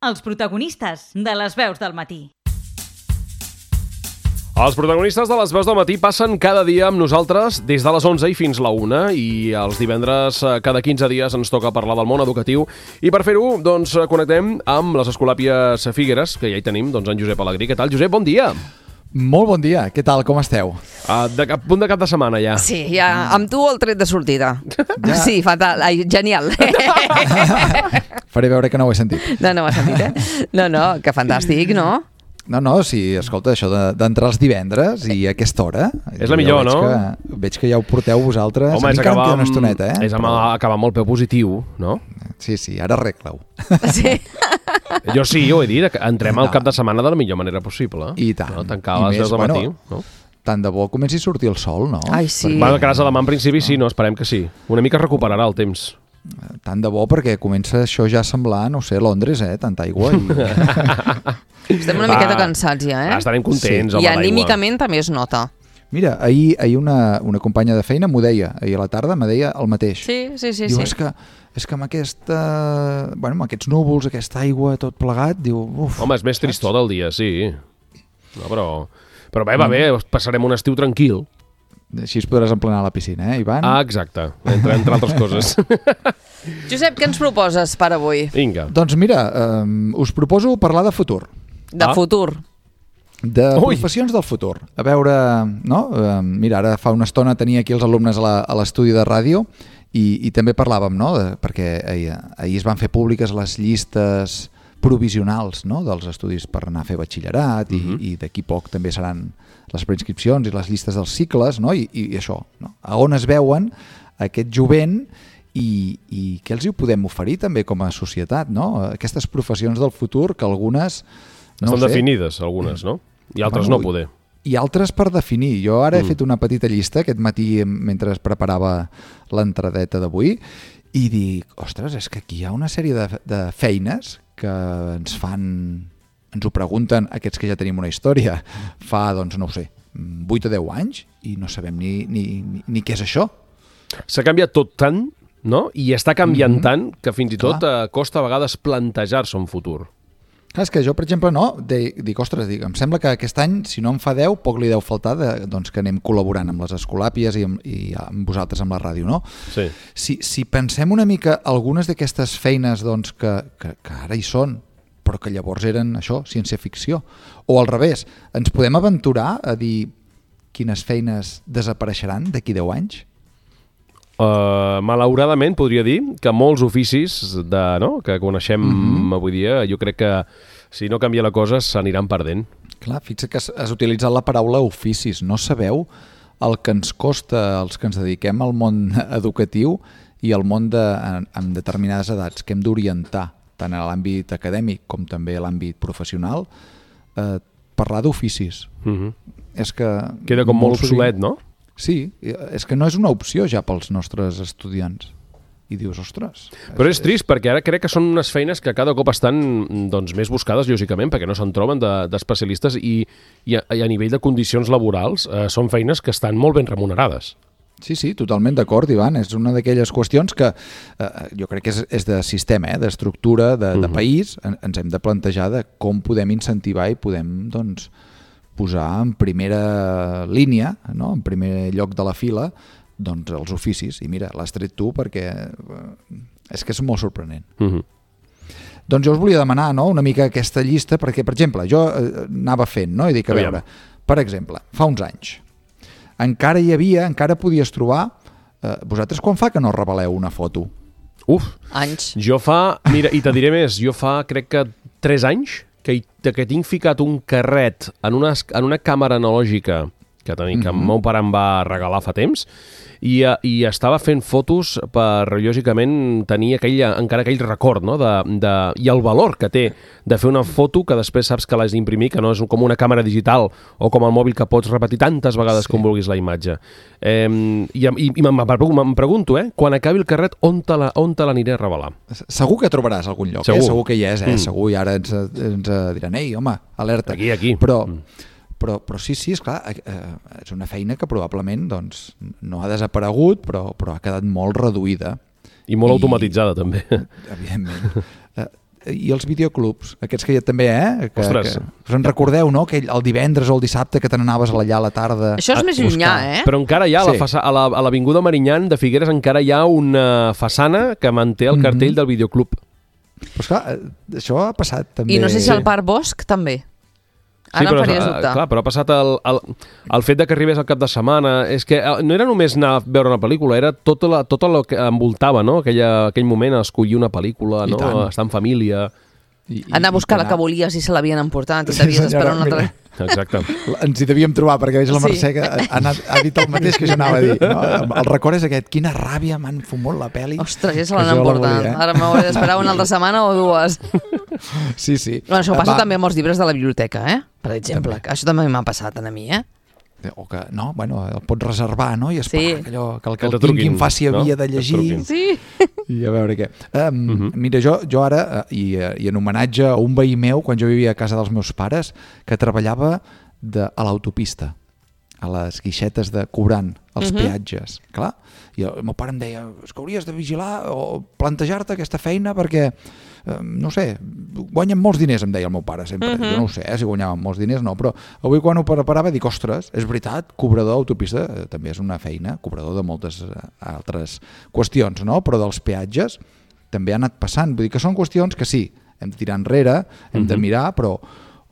els protagonistes de les veus del matí. Els protagonistes de les veus del matí passen cada dia amb nosaltres des de les 11 i fins la 1 i els divendres cada 15 dies ens toca parlar del món educatiu i per fer-ho doncs connectem amb les Escolàpies Figueres, que ja hi tenim en Josep Alegrí. Què tal, Josep? Bon dia! Molt bon dia, què tal, com esteu? Punt de cap de setmana ja. Sí, ja, amb tu el tret de sortida. Ja. Sí, fatal, genial. Faré veure que no ho he sentit. No ho has sentit, No, que fantàstic, no? No, sí, escolta, això d'entrar els divendres i a aquesta hora... És la millor, no? Veig que ja ho porteu vosaltres. Home, és acabar una estoneta, És acabar amb el peu positiu, no? Sí, ara arregla-ho. Sí. Jo sí, ho he dit, entrem al cap de setmana de la millor manera possible. I tant. No? Tancar a les 10 del matí, no? Tant de bo comenci a sortir el sol, no? Ai, sí. Bueno, que demà en principi sí, no? Esperem que sí. Una mica recuperarà el temps. Tant de bo, perquè comença això ja a semblar, no sé, Londres, tanta aigua. Estem una miqueta cansats ja, Estarem contents, sí. home, I anímicament també es nota. Mira, ahir una companya de feina m'ho deia, ahir a la tarda me deia el mateix. Sí. Diu, és que amb amb aquests núvols, aquesta aigua, tot plegat, diu, uf. Home, és més tristor del dia, sí. No, però bé, va bé, passarem un estiu tranquil. Així es podràs emplenar a la piscina, Ivan? Exacte, entre altres coses. Josep, què ens proposes per avui? Vinga. Doncs mira, us proposo parlar de futur. De futur. De professions del futur. A veure, no? Mira, ara fa una estona tenia aquí els alumnes a l'estudi de ràdio i també parlàvem, no? Perquè ahir es van fer públiques les llistes provisionals, no? Dels estudis per anar a fer batxillerat i d'aquí poc també seran les preinscripcions i les llistes dels cicles, no? I això, no? A on es veuen aquest jovent i què els hi podem oferir també com a societat, no? Aquestes professions del futur que algunes... Estan definides, algunes, no? I altres no poder. I altres per definir. Jo ara he fet una petita llista aquest matí mentre es preparava l'entradeta d'avui i dic, ostres, és que aquí hi ha una sèrie de feines que ens ho pregunten aquests que ja tenim una història fa, doncs no ho sé, 8 o 10 anys i no sabem ni què és això. S'ha canviat tot tant, no? I està canviant tant que fins i tot costa a vegades plantejar-se un futur. Clar, és que jo, per exemple, dic, ostres, em sembla que aquest any, si no en fa 10, poc li deu faltar doncs, que anem col·laborant amb les Escolàpies i amb vosaltres amb la ràdio, no? Sí. Si pensem una mica algunes d'aquestes feines doncs, que ara hi són, però que llavors eren això, ciència-ficció, o al revés, ens podem aventurar a dir quines feines desapareixeran d'aquí 10 anys? Malauradament podria dir que molts oficis que coneixem avui dia, jo crec que si no canvia la cosa s'aniran perdent. Clar, fixa't que has utilitzat la paraula oficis. No sabeu el que ens costa els que ens dediquem al món educatiu i al món amb determinades edats que hem d'orientar tant a l'àmbit acadèmic com també a l'àmbit professional, parlar d'oficis. És que queda com molt obsolet, no? Sí, és que no és una opció ja pels nostres estudiants. I dius, ostres... Però és trist, perquè ara crec que són unes feines que cada cop estan més buscades, lògicament, perquè no se'n troben d'especialistes i a nivell de condicions laborals són feines que estan molt ben remunerades. Sí, totalment d'acord, Ivan. És una d'aquelles qüestions que jo crec que és de sistema, d'estructura, de país. Ens hem de plantejar de com podem incentivar i podem, doncs, posar en primera línia, no? En primer lloc de la fila, doncs els oficis. I mira, l'has tret tu perquè és que és molt sorprenent. Doncs jo us volia demanar, no?, una mica aquesta llista, perquè, per exemple, jo anava fent, no?, i dic, a veure, per exemple, fa uns anys, encara podies trobar... vosaltres quan fa que no reveleu una foto? Anys. Jo mira, i te diré més, jo crec que 3 anys que tinc ficat un carret en una càmera analògica que el meu pare em va regalar fa temps i estava fent fotos per, lògicament, tenir encara aquell record, no? I el valor que té de fer una foto que després saps que l'has d'imprimir, que no és com una càmera digital o com el mòbil que pots repetir tantes vegades com vulguis la imatge. I em pregunto, quan acabi el carret, on te l'aniré a revelar? Segur que trobaràs algun lloc, segur que hi és, segur, i ara ens diran, ei, home, alerta. Aquí. Però sí, esclar, és una feina que probablement doncs, no ha desaparegut, però ha quedat molt reduïda. I molt automatitzada, també. Evidentment. i els videoclubs, aquests que ja també, Ostres. que us en recordeu, no? Que el divendres o el dissabte que te n'anaves allà a la tarda. Això és més llunyà, Però encara hi ha, Sí. a l'avinguda Marinyant de Figueres encara hi ha una façana que manté el cartell del videoclub. Però esclar, això ha passat també. I no sé si al Parc Bosc també. Ara em faries dubtar. clar, però ha passat el fet de que arribés al cap de setmana. És que no era només anar a veure una pel·lícula, era tot el que envoltava, no? Aquell moment, escollir una pel·lícula, I no? tant. Estar en família. Anar a buscar la que volies i se l'havien emportat i t'havies d'esperar una altra... Exacte. Ens hi devíem trobar, perquè veig la Sí. Mercè que ha dit el mateix que jo anava a dir. No? El record és aquest, quina ràbia, m'han fumut la pel·li. Ostres, ja se Que l'han jo la emportat. volia, Ara m'hauré d'esperar una altra setmana o dues. Sí, sí. Bueno, això passa Va. també amb els llibres de la biblioteca, Per exemple. Això també m'ha passat a mi, O que, no, bueno, el pots reservar, no? I esperar Sí. que allò, que el Que que te el tinguin truquin, faci no? havia de Que et llegir. truquin. Sí. I a veure què. Mira, jo ara, i en homenatge a un veí meu, quan jo vivia a casa dels meus pares, que treballava a l'autopista, a les guixetes de cobrant els peatges. Clar, i el meu pare em deia, és que hauries de vigilar o plantejar-te aquesta feina perquè, no sé, guanyen molts diners, em deia el meu pare sempre. Jo no ho sé, si guanyaven molts diners no, però avui quan ho preparava dic, ostres, és veritat, cobrador d'autopista també és una feina, cobrador de moltes altres qüestions, no? Però dels peatges també ha anat passant. Vull dir que són qüestions que sí, hem de tirar enrere, hem de mirar, però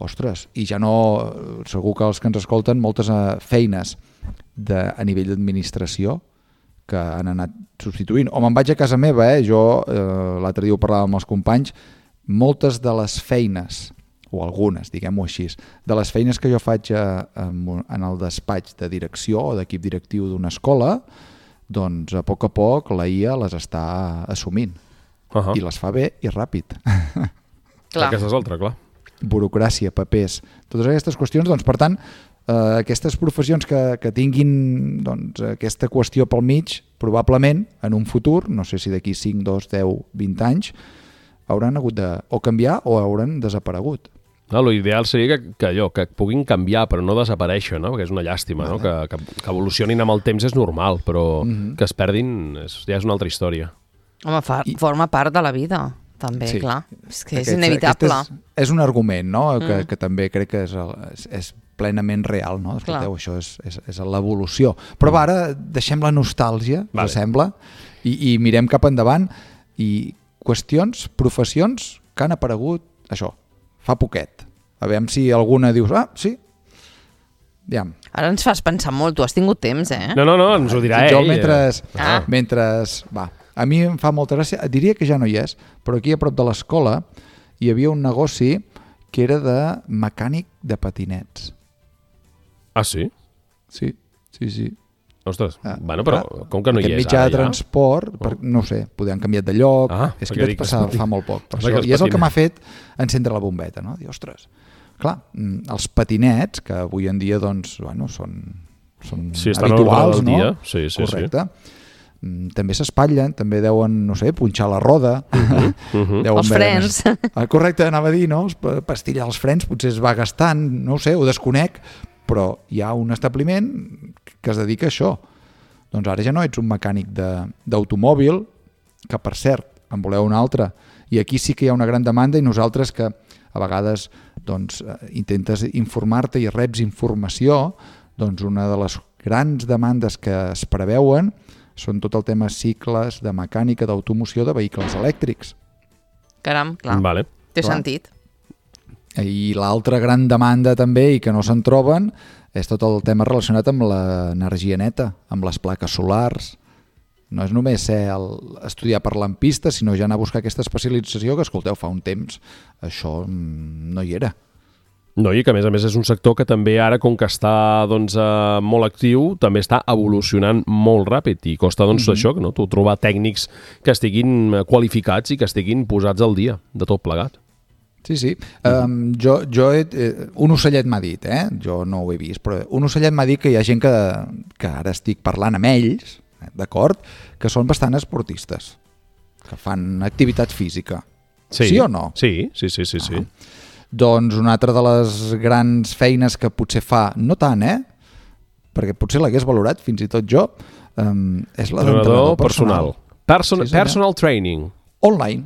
ostres, i ja no, segur que els que ens escolten, moltes feines a nivell d'administració que han anat substituint. O me'n vaig a casa meva, jo l'altre dia ho parlava amb els companys, moltes de les feines, o algunes, diguem-ho així, de les feines que jo faig en el despatx de direcció o d'equip directiu d'una escola, doncs a poc la IA les està assumint. I les fa bé i ràpid. Clar. Aquesta és l'altra, clar. Burocràcia, papers, totes aquestes qüestions, doncs per tant, aquestes professions que tinguin doncs, aquesta qüestió pel mig, probablement en un futur, no sé si d'aquí 5, 2, 10, 20 anys, hauran hagut de o canviar o hauran desaparegut. L'ideal seria que puguin canviar però no desaparèixer, no? Perquè és una llàstima, no? Que evolucionin amb el temps és normal, però que es perdin ja és una altra història. Home, forma part de la vida, també, Sí. clar. És que és inevitable. És un argument, no? Que també crec que és plenament real, no? Escolteu, això és l'evolució. Però va, ara deixem la nostàlgia, Vale. us sembla, i mirem cap endavant, i qüestions, professions que han aparegut, això, fa poquet. A veure si alguna dius, sí, ja. Ara ens fas pensar molt, tu has tingut temps, No, ens ho dirà Jo ell. mentre... Va, a mi em fa molta gràcia, diria que ja no hi és, però aquí a prop de l'escola hi havia un negoci que era de mecànic de patinets. Ah, sí? Sí. Ostres, bueno, però com que no hi és mitjà ara de transport, no sé, poder han canviat de lloc, és que hi vaig passar fa molt poc. Per això, i és el que m'ha fet encendre la bombeta, no? Dir, ostres, clar, els patinets, que avui en dia doncs, bueno, són habituals, no? Dia. Sí. Correcte. També s'espatllen, també deuen, no sé, punxar la roda. Els frens. Correcte, anava a dir, no? Pastillar els frens, potser es va gastant, no ho sé, ho desconec, però hi ha un establiment que es dedica a això. Doncs ara ja no ets un mecànic d'automòbil, que per cert, en voleu un altre, i aquí sí que hi ha una gran demanda, i nosaltres que a vegades doncs, intentes informar-te i reps informació, doncs una de les grans demandes que es preveuen són tot el tema cicles de mecànica d'automoció de vehicles elèctrics. Caram, clar, vale. té sentit. I l'altra gran demanda també, i que no se'n troben, és tot el tema relacionat amb l'energia neta, amb les plaques solars. No és només estudiar per lampista, sinó ja anar a buscar aquesta especialització que, escolteu, fa un temps això no hi era. No, i que a més és un sector que també ara, com que està doncs, molt actiu, també està evolucionant molt ràpid i costa doncs, això, no? Trobar tècnics que estiguin qualificats i que estiguin posats al dia de tot plegat. Sí. Un ocellet m'ha dit, jo no ho he vist, però un ocellet m'ha dit que hi ha gent que ara estic parlant amb ells, d'acord, que són bastant esportistes, que fan activitat física. Sí o no? Sí. Doncs una altra de les grans feines que potser fa, no tant, perquè potser l'hagués valorat, fins i tot jo, és la d'entrenador personal. Personal training. Online.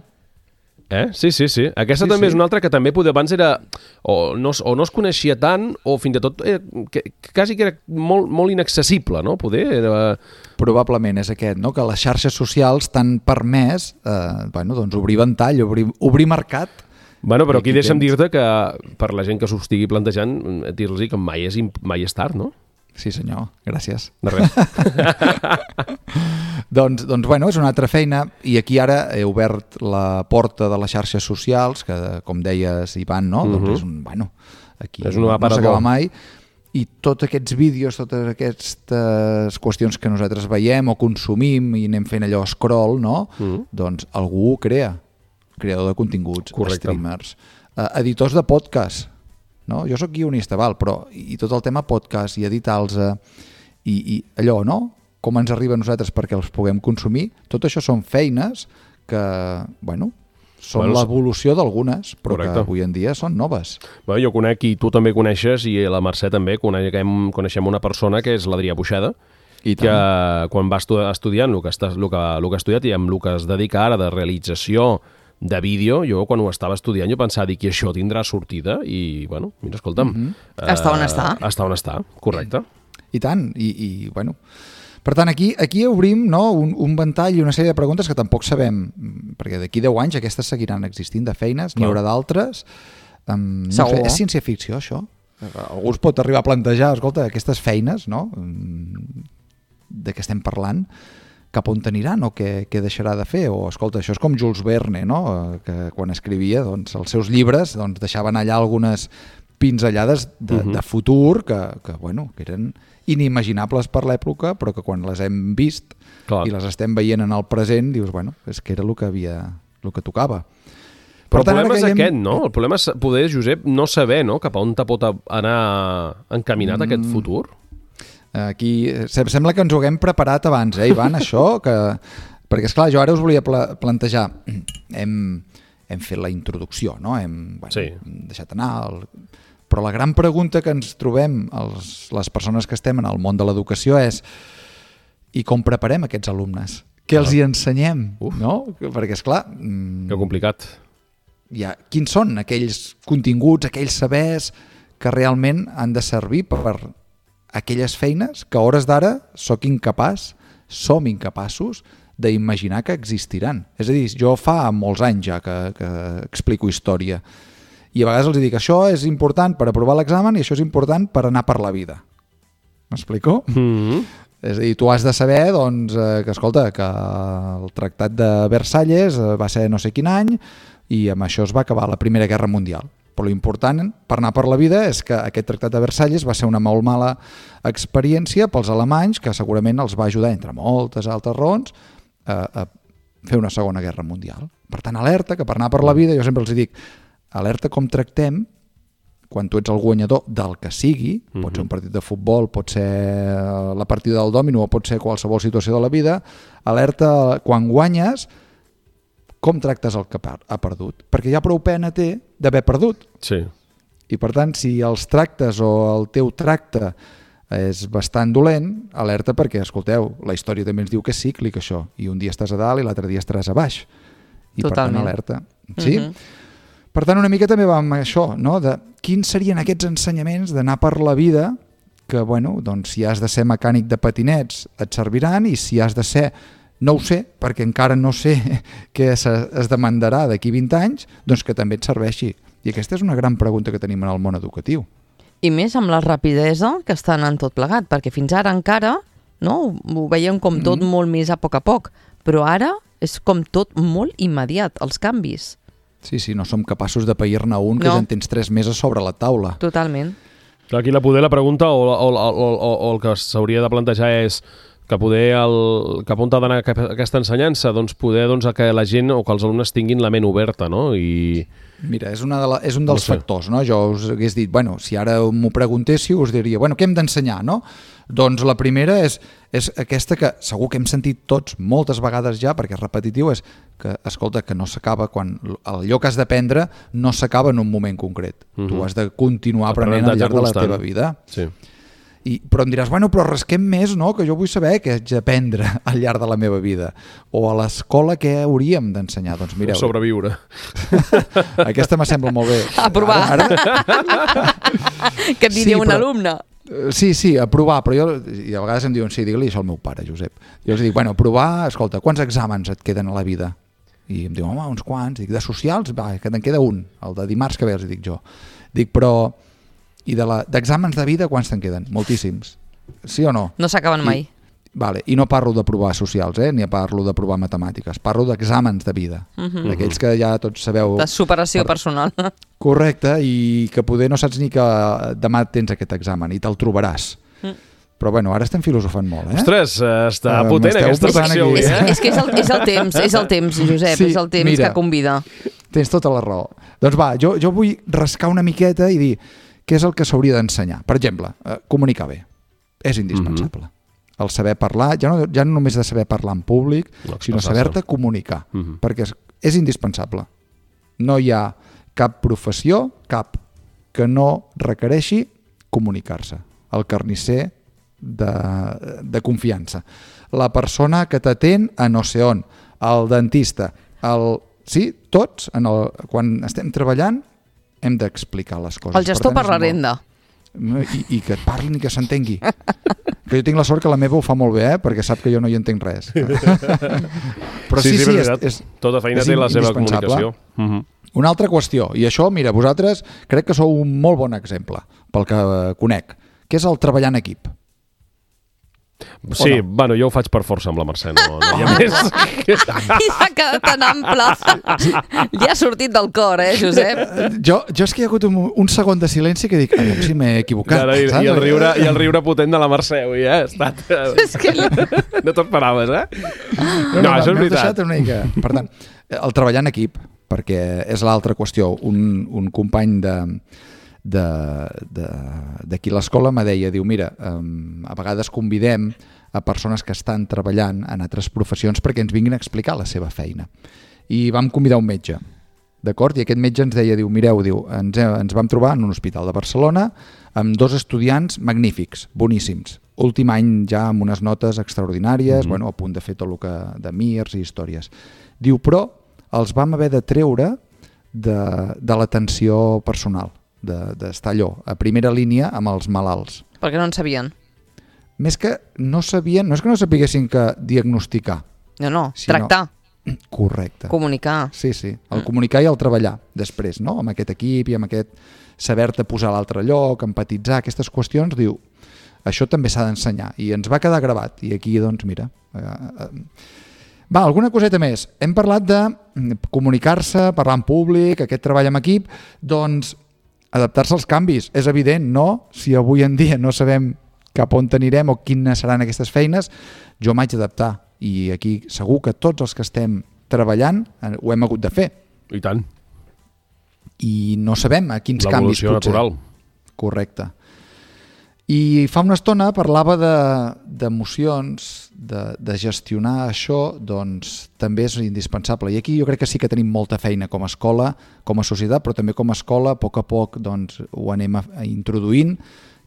Sí. Aquesta Sí, també sí. és una altra que també poder abans era... O no es coneixia tant, o fins i tot quasi que era molt inaccessible, no? Poder era... Probablement és aquest, no? Que les xarxes socials t'han permès doncs obrir ventall, obrir mercat. Bueno, però aquí Aquí deixa'm tens. dir-te que per la gent que s'ho estigui plantejant, dir-los que mai és tard, no? Sí, senyor, gràcies. De res. Doncs, bueno, és una altra feina i aquí ara he obert la porta de les xarxes socials, que com deies, Ivan, no? Doncs és un, aquí És un no aparador. s'acaba mai. I tots aquests vídeos, totes aquestes qüestions que nosaltres veiem o consumim i anem fent allò scroll, no? Doncs algú ho crea. Creador de continguts, Correcte. streamers, editors de podcast, no? Jo sóc guionista, però i tot el tema podcast i editar-los i allò, no? Com ens arriba a nosaltres perquè els puguem consumir, tot això són feines que, són l'evolució d'algunes, però Correcte. que avui en dia són noves. Jo conec, i tu també coneixes, i la Mercè també, coneixem una persona que és l'Adrià Buixeda, I que tant. quan va estudiant el que ha estudiat i amb el que es dedica ara de realització de vídeo, jo quan ho estava estudiant jo pensava que això tindrà sortida i, mira, escolta'm... Està on està. Està on està, correcte. I tant, i per tant, aquí obrim, no, un ventall i una sèrie de preguntes que tampoc sabem, perquè d'aquí 10 anys aquestes seguiran existint de feines, n'hi haurà d'altres. No sé, Segur. és ciència-ficció, això? Algú es pot arribar a plantejar, escolta, aquestes feines, no?, de què estem parlant, cap on aniran o què deixarà de fer? O, escolta, això és com Jules Verne, no?, que quan escrivia els seus llibres deixaven allà algunes pinzellades de futur que eren inimaginables per l'època, però que quan les hem vist i les estem veient en el present, dius, és que era el que tocava. Però el problema és aquest, no? El problema és poder, Josep, no saber, no?, cap a on te pot anar encaminat aquest futur. Aquí sembla que ens ho haguem preparat abans, Ivan, això, perquè, esclar, jo ara us volia plantejar, hem fet la introducció, no? Hem deixat anar... Però la gran pregunta que ens trobem les persones que estem en el món de l'educació és i com preparem aquests alumnes? Què els hi ensenyem? No? Perquè, esclar... Que complicat. Quins són aquells continguts, aquells sabers que realment han de servir per aquelles feines que a hores d'ara som incapaços d'imaginar que existiran. És a dir, jo fa molts anys ja que explico història i a vegades els dic, això és important per aprovar l'examen i això és important per anar per la vida. M'explico? És a dir, tu has de saber que, escolta, que el Tractat de Versalles va ser no sé quin any i amb això es va acabar la Primera Guerra Mundial. Però l'important per anar per la vida és que aquest Tractat de Versalles va ser una molt mala experiència pels alemanys, que segurament els va ajudar, entre moltes altres raons, a fer una Segona Guerra Mundial. Per tant, alerta, que per anar per la vida, jo sempre els dic, alerta com tractem quan tu ets el guanyador del que sigui, pot ser un partit de futbol, pot ser la partida del dòmino o pot ser qualsevol situació de la vida, alerta quan guanyes, com tractes el que ha perdut. Perquè ja prou pena té d'haver perdut. Sí. I per tant, si els tractes o el teu tracte és bastant dolent, alerta perquè, escolteu, la història també ens diu que és cíclic això, i un dia estàs a dalt i l'altre dia estaràs a baix. I per tant, alerta. Sí? Per tant, una mica també va amb això, no? De quins serien aquests ensenyaments d'anar per la vida que, si has de ser mecànic de patinets et serviran i si has de ser, no ho sé, perquè encara no sé què es demandarà d'aquí 20 anys, doncs que també et serveixi. I aquesta és una gran pregunta que tenim en el món educatiu. I més amb la rapidesa que està anant tot plegat, perquè fins ara encara ho veiem com tot molt més a poc, però ara és com tot molt immediat, els canvis. Sí, no som capaços de pair-ne un que ja en tens 3 meses sobre la taula. Totalment. Aquí la pregunta o el que s'hauria de plantejar és que poder cap on ha d'anar aquesta ensenyança, doncs poder que la gent o que els alumnes tinguin la ment oberta, no? Mira, és un dels factors, no? Jo us hagués dit, si ara m'ho preguntéssiu, us diria, què hem d'ensenyar, no? Doncs la primera és aquesta que segur que hem sentit tots moltes vegades ja, perquè és repetitiu, és que, escolta, que no s'acaba quan allò que has d'aprendre no s'acaba en un moment concret. Tu has de continuar aprenent al llarg de la teva vida. Sí. Però em diràs, bueno, però rasquem més, no? Que jo vull saber què haig d'aprendre al llarg de la meva vida. O a l'escola què hauríem d'ensenyar. Doncs mireu. Sobreviure. Aquesta m'assembla molt bé. A provar. Ara... Que et diria un alumne. Sí, a provar, però i a vegades em diuen, sí, digue-li això al meu pare, Josep. Jo els dic, bueno, provar, escolta, quants exàmens et queden a la vida? I em diuen, home, uns quants. Dic, de socials, va, que te'n queda un, el de dimarts que ve, els dic jo. Dic, però... I d'exàmens de vida, quants te'n queden? Moltíssims. Sí o no? No s'acaben mai. Vale. I no parlo de provar socials, ni parlo de provar matemàtiques. Parlo d'exàmens de vida. D'aquells que ja tots sabeu... De superació personal. Correcte, i que poder no saps ni que demà tens aquest examen i te'l trobaràs. Però bueno, ara estem filosofant molt, Ostres, està potent aquesta secció. És que és el temps, Josep, sí, és el temps que convida. Tens tota la raó. Doncs va, jo vull rascar una miqueta i dir què és el que s'hauria d'ensenyar. Per exemple, comunicar bé. És indispensable. El saber parlar, ja no només de saber parlar en públic, sinó saber-te comunicar, perquè és indispensable. No hi ha cap professió, que no requereixi comunicar-se. El carnisser de confiança. La persona que t'atén a no sé on, el dentista, sí, tots, quan estem treballant, hem d'explicar les coses. El gestor per la renda. I que et parlin i que s'entengui. Que jo tinc la sort que la meva ho fa molt bé, perquè sap que jo no hi entenc res. Però sí, tota feina té la seva comunicació. Una altra qüestió, i això, mira, vosaltres crec que sou un molt bon exemple, pel que conec, que és el treballar en equip. Sí, bueno, jo ho faig per força amb la Mercè, no hi ha més. I s'ha quedat tan ample. Li ha sortit del cor, Josep? Jo és que hi ha hagut un segon de silenci que dic, si m'he equivocat. I el riure potent de la Mercè, avui, ha estat... No t'ho esperaves, No, això és veritat. Per tant, el treballar en equip, perquè és l'altra qüestió. Un company d'aquí l'escola me deia, diu, mira, a vegades convidem a persones que estan treballant en altres professions perquè ens vinguin a explicar la seva feina. I vam convidar un metge, d'acord? I aquest metge ens deia, diu, mireu, ens vam trobar en un hospital de Barcelona amb 2 estudiants magnífics, boníssims. Últim any ja amb unes notes extraordinàries, a punt de fer tot el que de mirs i històries. Diu, però els vam haver de treure de l'atenció personal, d'estar allò, a primera línia amb els malalts. Perquè no en sabien. Més que no sabien, no és que no sapiguessin que diagnosticar. No, tractar. Correcte. Comunicar. Sí, el comunicar i el treballar després, no? Amb aquest equip i amb aquest saber-te posar a l'altre lloc, empatitzar, aquestes qüestions, diu, això també s'ha d'ensenyar. I ens va quedar gravat. I aquí, doncs, mira... Va, alguna coseta més. Hem parlat de comunicar-se, parlar en públic, aquest treball en equip, doncs adaptar-se als canvis. És evident, no? Si avui en dia no sabem cap on anirem o quines seran aquestes feines, jo m'haig d'adaptar. I aquí segur que tots els que estem treballant ho hem hagut de fer. I tant. I no sabem a quins canvis potser. L'evolució natural. Correcte. I fa una estona parlava d'emocions, de gestionar això, doncs també és indispensable. I aquí jo crec que sí que tenim molta feina com a escola, com a societat, però també com a escola, a poc doncs, ho anem introduint,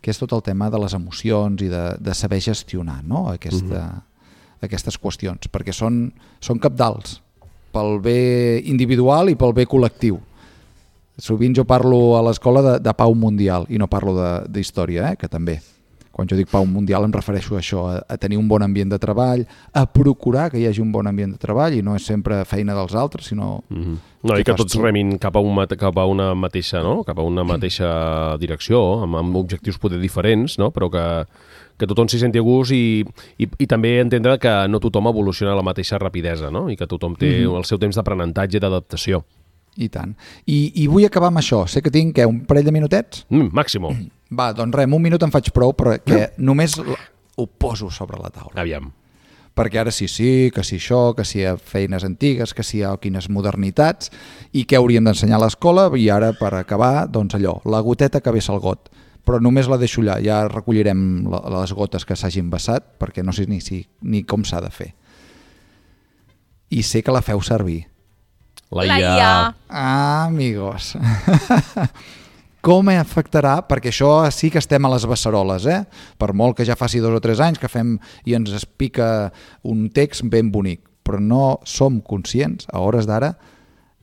que és tot el tema de les emocions i de saber gestionar, no? Aquestes qüestions, perquè són cabdals pel bé individual i pel bé col·lectiu. Sovint jo parlo a l'escola de pau mundial i no parlo d'història, que també. Quan jo dic pau mundial em refereixo a això, a tenir un bon ambient de treball, a procurar que hi hagi un bon ambient de treball i no és sempre feina dels altres, sinó... No, i que tots remin cap a una mateixa, no? Cap a una mateixa direcció, amb objectius poder diferents, no? Però que tothom s'hi senti a gust i també entendre que no tothom evoluciona a la mateixa rapidesa, no? I que tothom té el seu temps d'aprenentatge i d'adaptació. I tant. I vull acabar amb això. Sé que tinc un parell de minutets? Màximo. Va, doncs res, amb un minut em faig prou, perquè només ho poso sobre la taula. Aviam. Perquè ara sí, que si això, que si hi ha feines antigues, que si hi ha quines modernitats, i què hauríem d'ensenyar a l'escola, i ara, per acabar, doncs allò, la goteta que vessa el got. Però només la deixo allà, ja recollirem les gotes que s'hagin vessat, perquè no sé ni com s'ha de fer. I sé que la feu servir. La IA. Ah, amigos. com afectarà, perquè això sí que estem a les beceroles, per molt que ja faci 2 o 3 anys que fem i ens es pica un text ben bonic, però no som conscients a hores d'ara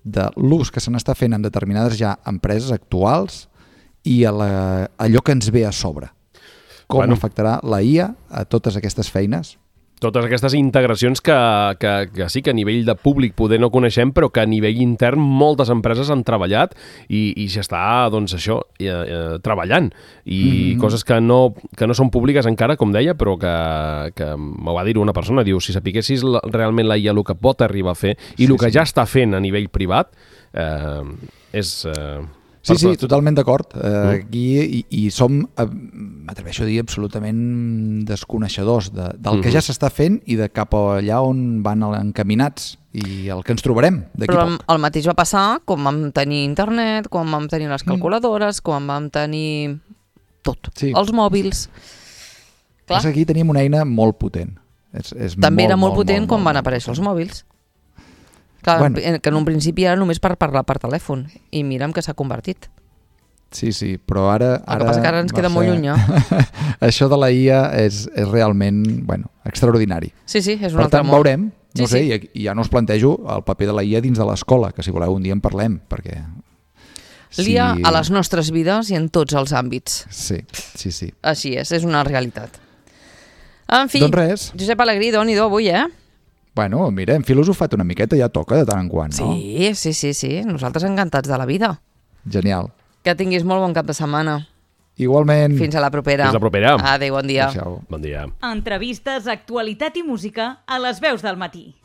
de l'ús que se n'està fent en determinades ja empreses actuals i allò que ens ve a sobre. Com afectarà la IA a totes aquestes feines? Totes aquestes integracions que sí que a nivell de públic poder no coneixem, però que a nivell intern moltes empreses han treballat i s'està, doncs això, treballant. I coses que no són públiques encara, com deia, però que m'ho va dir una persona, diu, si sapiguessis realment la IA el que pot arribar a fer i el que ja està fent a nivell privat, és... Sí, totalment d'acord. Aquí i som, m'atreveixo a dir, absolutament desconeixedors del que ja s'està fent i de cap allà on van encaminats i el que ens trobarem d'aquí poc. Però el mateix va passar quan vam tenir internet, quan vam tenir les calculadores, quan vam tenir tot, els mòbils. Clar. Aquí tenim una eina molt potent. També era molt potent quan van aparèixer els mòbils. Clar, que en un principi era només per parlar per telèfon i mira'm que s'ha convertit. Sí, però ara... El que passa que ara ens queda molt lluny. Això de la IA és realment extraordinari. Sí, és un altre món. Veurem, no sé, i ja no us plantejo el paper de la IA dins de l'escola, que si voleu un dia en parlem, perquè... L'IA a les nostres vides i en tots els àmbits. Sí. Així és una realitat. En fi, doncs res. Josep Alegrí, doni-do avui, Bueno, mira, hem filosofat una miqueta, ja toca de tant en quant, no? Sí. Nosaltres encantats de la vida. Genial. Que tinguis molt bon cap de setmana. Igualment. Fins a la propera. Adéu, bon dia. Adéu. Bon dia. Entrevistes, actualitat i música a les veus del matí.